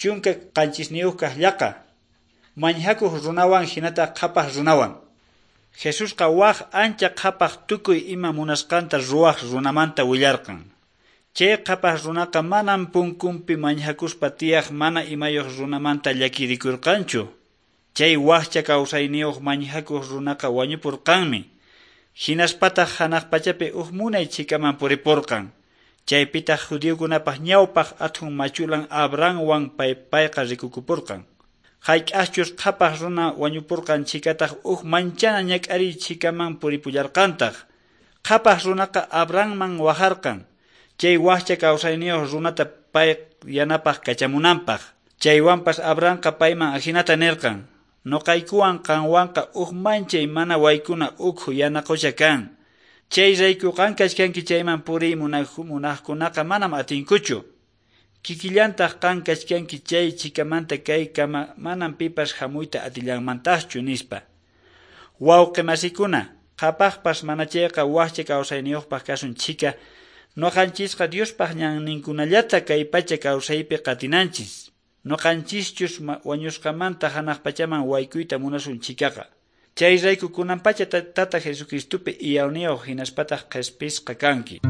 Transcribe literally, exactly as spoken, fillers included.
Chunka qanchisniyuq kaq llaqa. Mañhakuq runawan hinataq qhapaq runawan. Jesusqa waj ancha qhapaq tukuy ima munasqanta ruwaq runamanta willarqan. Chay qhapaq runaqa manam punkunpi mañhakuspa tiyaq mana imayuq runamanta llakirikurqanchu. Chay wakcha kawsayniyuq mañhakuq runaqa wañupurqanmi. Hinaspataq hanaq pachapi uj munay chhikaman puripurqan. Chaypitaq judiokunapaq ñawpaq athun machulan Abrahamwan pay payqa rikukupurqan. Hayk'aqchus qhapaq runa wañupurqan chhikataq uj manchana ñak'ariy chhikaman puripullarqantaq. Qhapaq runaqa Abrahamman wajarqan. Chay wakcha kawsayniyuq runata pay yanapaq kachamunanpaq. Chaywanpas Abrahamqa payman ajinata nirqan: Nuqaykuwan qanwanqa uj manchay mana waykuna ukhu yana qucha kan. Chay rayku qan kachkanki chayman puriy munaqkunaqa manam atinkuchu. Kikillantaq qan kachkanki chay chhikamanta kaykama manam pipas hamuyta atillanmantaqchu nispa. Wawqi masikuna, qhapaqpas mana chayqa wakcha kawsayniyuqpaq kasun chhika, nuqanchisqa Diospaq ñanninkunallata kay pacha kawsaypi qatinanchis. Nuqanchischus wañusqamanta hanaq pachaman waykuyta munasun chhikaqa. Chay rayku kunan pacha tata Jesucristopi iyawniyuq hinaspataq qhispisqa kanki.